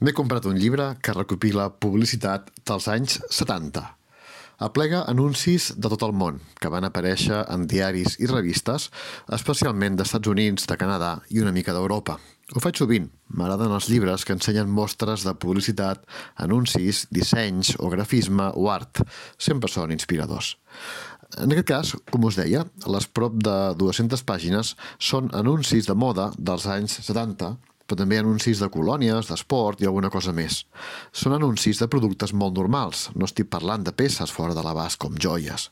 M'he comprat un llibre que recopila publicitat dels anys 70. Aplega anuncis de tot el món, que van aparèixer en diaris i revistes, especialment d'Estats Units, de Canadà i una mica d'Europa. Ho faig sovint. M'agraden els llibres que ensenyen mostres de publicitat, anuncis, dissenys o grafisme o art. Sempre són inspiradors. En aquest cas, com us deia, les prop de 200 pàgines són anuncis de moda dels anys 70, però també anuncis de colònies, d'esport i alguna cosa més. Són anuncis de productes molt normals, no estic parlant de peces fora de l'abast com joies.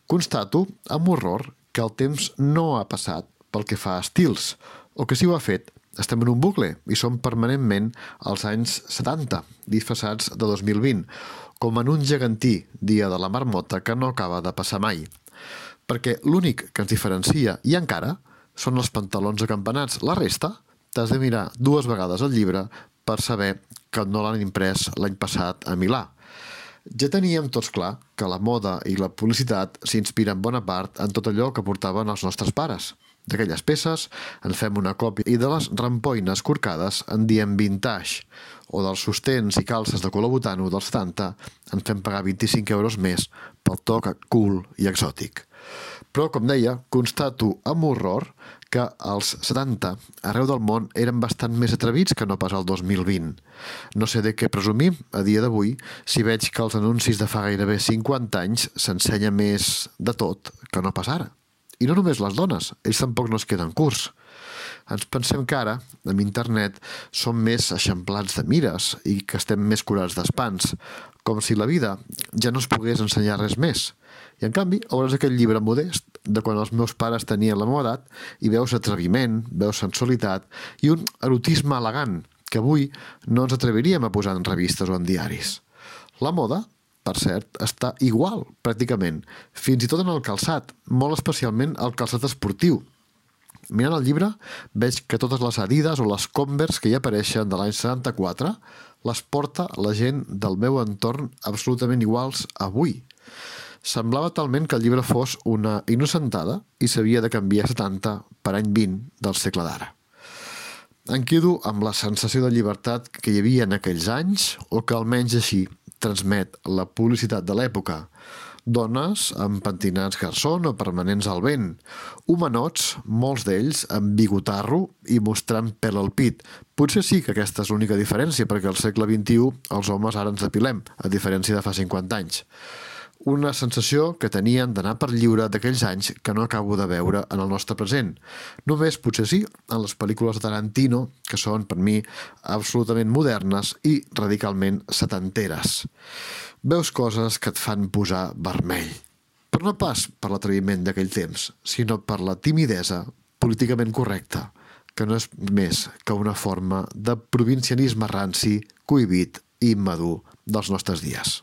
Constato, amb horror, que el temps no ha passat pel que fa a estils, o que si ho ha fet, estem en un bucle i som permanentment als anys 70, disfressats de 2020, com en un gegantí dia de la marmota que no acaba de passar mai. Perquè l'únic que ens diferencia, i encara, són els pantalons acampanats. La resta, t'has de mirar 2 vegades el llibre per saber que no l'han imprès l'any passat a Milà. Ja teníem tots clar que la moda i la publicitat s'inspiren bona part en tot allò que portaven els nostres pares. D'aquelles peces en fem una còpia i de les rampoines corcades en diem vintage, o dels sostens i calces de color botano dels 70 en fem pagar 25 euros més pel toc cool i exòtic. Però, com deia, constato amb horror que els 70 arreu del món eren bastant més atrevits que no pas el 2020. No sé de què presumir a dia d'avui si veig que els anuncis de fa gairebé 50 anys s'ensenya més de tot que no pas ara. I no només les dones, ells tampoc no es queden curts. Ens pensem que ara, amb internet, som més eixamplats de mires i que estem més curats d'espants, com si la vida ja no es pogués ensenyar res més. I en canvi, obreix aquest llibre modest de quan els meus pares tenien la meva edat i veus atreviment, veus sensualitat i un erotisme elegant que avui no ens atreviríem a posar en revistes o en diaris. La moda, per cert, està igual, pràcticament, fins i tot en el calçat, molt especialment el calçat esportiu. Mirant el llibre, veig que totes les Adidas o les Converse que hi apareixen de l'any 74 les porta la gent del meu entorn absolutament iguals avui. Semblava talment que el llibre fos una innocentada i s'havia de canviar 70 per any 20 del segle d'ara. Em quedo amb la sensació de llibertat que hi havia en aquells anys, o que almenys així transmet la publicitat de l'època. Dones amb pentinats garçon o permanents al vent. Homenots, molts d'ells amb bigotarro i mostrant pèl al pit. Potser sí que aquesta és l'única diferència, perquè al segle XXI els homes ara ens depilem, a diferència de fa 50 anys. Una sensació que tenien d'anar per lliure d'aquells anys que no acabo de veure en el nostre present. Només, potser sí, en les pel·lícules de Tarantino, que són, per mi, absolutament modernes i radicalment setanteres. Veus coses que et fan posar vermell. Però no pas per l'atreviment d'aquell temps, sinó per la timidesa políticament correcta, que no és més que una forma de provincianisme ranci, cohibit i immadur dels nostres dies.